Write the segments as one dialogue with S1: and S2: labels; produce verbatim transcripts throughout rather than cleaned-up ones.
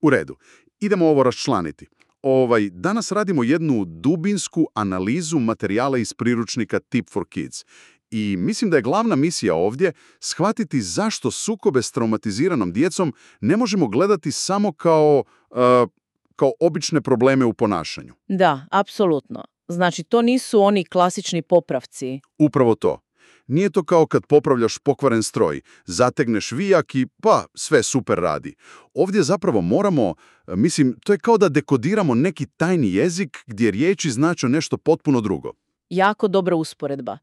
S1: U redu. Idemo ovo raščlaniti. Ovaj, danas radimo jednu dubinsku analizu materijala iz priručnika Tip for Kids. I mislim da je glavna misija ovdje shvatiti zašto sukobe s traumatiziranom djecom ne možemo gledati samo kao, uh, kao obične probleme u ponašanju.
S2: Da, apsolutno. Znači, to nisu oni klasični popravci.
S1: Upravo to. Nije to kao kad popravljaš pokvaren stroj, zategneš vijak i pa, sve super radi. Ovdje zapravo moramo, mislim, to je kao da dekodiramo neki tajni jezik gdje riječi znače nešto potpuno drugo.
S2: Jako dobra usporedba.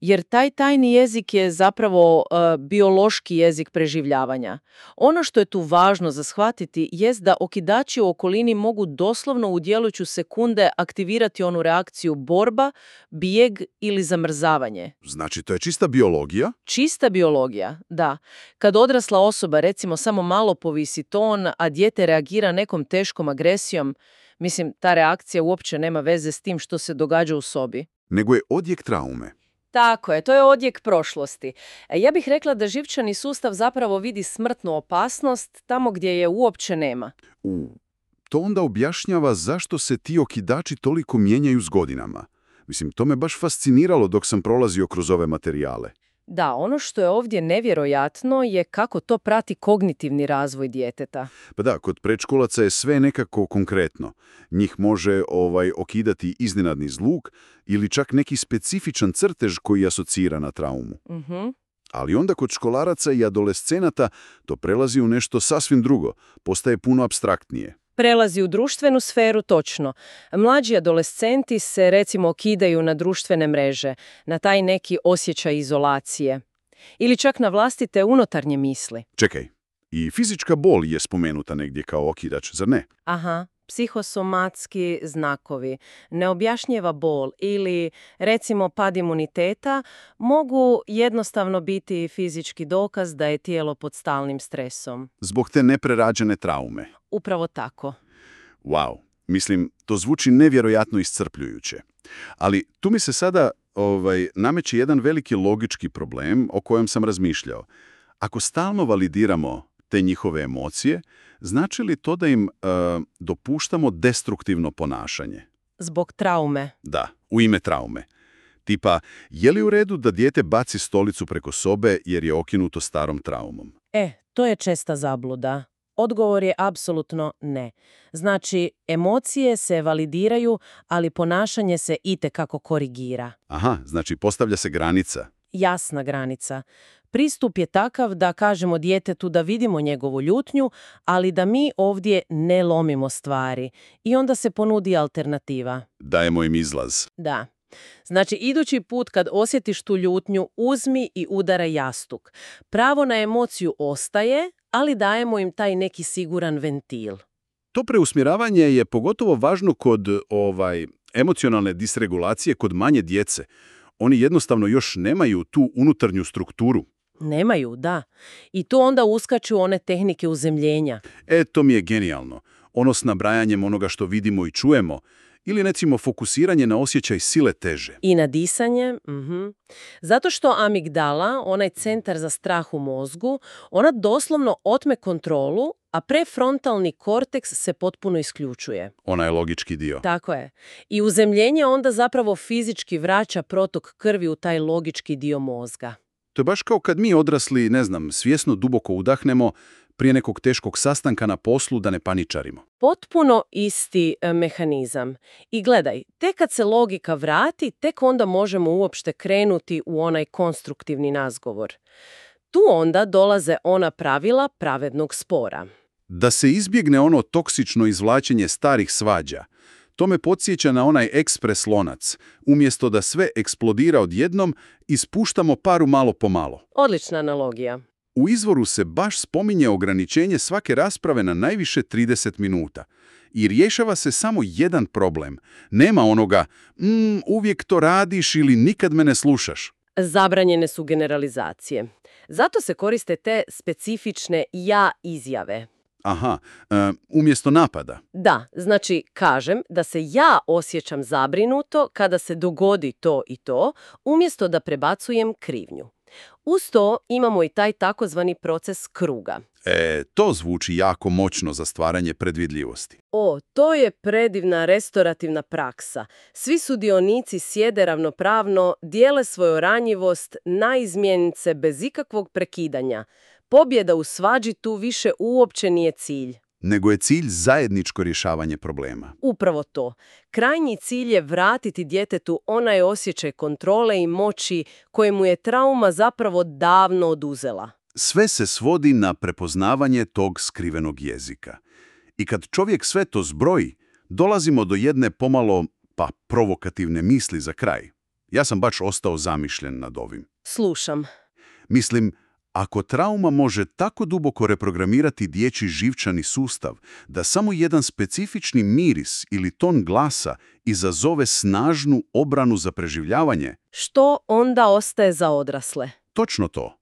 S2: Jer taj tajni jezik je zapravo uh, biološki jezik preživljavanja. Ono što je tu važno za shvatiti jest da okidači u okolini mogu doslovno u djelujuću sekunde aktivirati onu reakciju borba, bijeg ili zamrzavanje.
S1: Znači, to je čista biologija?
S2: Čista biologija, da. Kad odrasla osoba recimo samo malo povisi ton, a dijete reagira nekom teškom agresijom, mislim, ta reakcija uopće nema veze s tim što se događa u sobi.
S1: Nego je odjek traume.
S2: Tako je, to je odjek prošlosti. Ja bih rekla da živčani sustav zapravo vidi smrtnu opasnost tamo gdje je uopće nema.
S1: U, to onda objašnjava zašto se ti okidači toliko mijenjaju s godinama. Mislim, to me baš fasciniralo dok sam prolazio kroz ove materijale.
S2: Da, ono što je ovdje nevjerojatno je kako to prati kognitivni razvoj djeteta.
S1: Pa da, kod predškolaca je sve nekako konkretno. Njih može ovaj okidati iznenadni zluk ili čak neki specifičan crtež koji asocira na traumu.
S2: Mhm.
S1: Ali onda kod školaraca i adolescenata to prelazi u nešto sasvim drugo, postaje puno apstraktnije.
S2: Prelazi u društvenu sferu, točno. Mlađi adolescenti se recimo okidaju na društvene mreže, na taj neki osjećaj izolacije. Ili čak na vlastite unutarnje misli.
S1: Čekaj, i fizička bol je spomenuta negdje kao okidač, zar ne?
S2: Aha, psihosomatski znakovi, neobjašnjeva bol ili recimo pad imuniteta mogu jednostavno biti fizički dokaz da je tijelo pod stalnim stresom.
S1: Zbog te neprerađene traume.
S2: Upravo tako.
S1: Wow, mislim, to zvuči nevjerojatno iscrpljujuće. Ali tu mi se sada ovaj, nameće jedan veliki logički problem o kojem sam razmišljao. Ako stalno validiramo te njihove emocije, znači li to da im uh, dopuštamo destruktivno ponašanje?
S2: Zbog traume.
S1: Da, u ime traume. Tipa, je li u redu da dijete baci stolicu preko sobe jer je okinuto starom traumom?
S2: E, to je česta zabluda. Odgovor je apsolutno ne. Znači, emocije se validiraju, ali ponašanje se itekako korigira.
S1: Aha, znači postavlja se granica.
S2: Jasna granica. Pristup je takav da kažemo djetetu da vidimo njegovu ljutnju, ali da mi ovdje ne lomimo stvari. I onda se ponudi alternativa.
S1: Dajemo im izlaz.
S2: Da. Znači, idući put kad osjetiš tu ljutnju, uzmi i udara jastuk. Pravo na emociju ostaje, ali dajemo im taj neki siguran ventil.
S1: To preusmjeravanje je pogotovo važno kod ovaj, emocionalne disregulacije kod manje djece. Oni jednostavno još nemaju tu unutarnju strukturu.
S2: Nemaju, da. I tu onda uskaču one tehnike uzemljenja.
S1: E, to mi je genijalno. Ono s nabrajanjem onoga što vidimo i čujemo. Ili recimo fokusiranje na osjećaj sile teže.
S2: I na disanje. Mhm. Zato što amigdala, onaj centar za strah u mozgu, ona doslovno otme kontrolu, a prefrontalni korteks se potpuno isključuje.
S1: Ona je logički dio.
S2: Tako je. I uzemljenje onda zapravo fizički vraća protok krvi u taj logički dio mozga.
S1: To je baš kao kad mi odrasli, ne znam, svjesno duboko udahnemo prije nekog teškog sastanka na poslu da ne paničarimo.
S2: Potpuno isti e, mehanizam. I gledaj, tek kad se logika vrati, tek onda možemo uopšte krenuti u onaj konstruktivni razgovor. Tu onda dolaze ona pravila pravednog spora.
S1: Da se izbjegne ono toksično izvlačenje starih svađa. To me podsjeća na onaj ekspres lonac. Umjesto da sve eksplodira odjednom, ispuštamo paru malo po malo.
S2: Odlična analogija.
S1: U izvoru se baš spominje ograničenje svake rasprave na najviše trideset minuta. I rješava se samo jedan problem. Nema onoga, mm, uvijek to radiš ili nikad me ne slušaš.
S2: Zabranjene su generalizacije. Zato se koriste te specifične ja izjave.
S1: Aha, e, umjesto napada.
S2: Da, znači kažem da se ja osjećam zabrinuto kada se dogodi to i to, umjesto da prebacujem krivnju.
S3: Uz to imamo i taj takozvani proces kruga.
S1: E, to zvuči jako moćno za stvaranje predvidljivosti.
S3: O, to je predivna restorativna praksa. Svi sudionici sjede ravnopravno, dijele svoju ranjivost, naizmjenice bez ikakvog prekidanja. Pobjeda u svađi tu više uopće nije cilj.
S1: Nego je cilj zajedničko rješavanje problema.
S3: Upravo to. Krajnji cilj je vratiti djetetu onaj osjećaj kontrole i moći kojemu je trauma zapravo davno oduzela.
S1: Sve se svodi na prepoznavanje tog skrivenog jezika. I kad čovjek sve to zbroji, dolazimo do jedne pomalo, pa provokativne misli za kraj. Ja sam baš ostao zamišljen nad ovim.
S3: Slušam.
S1: Mislim, ako trauma može tako duboko reprogramirati dječji živčani sustav, da samo jedan specifični miris ili ton glasa izazove snažnu obranu za preživljavanje,
S3: Što onda ostaje za odrasle?
S1: točno to.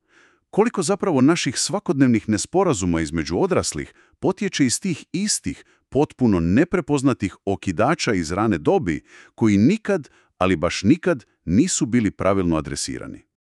S1: Koliko zapravo naših svakodnevnih nesporazuma između odraslih potječe iz tih istih, potpuno neprepoznatih okidača iz rane dobi, koji nikad, ali baš nikad, nisu bili pravilno adresirani.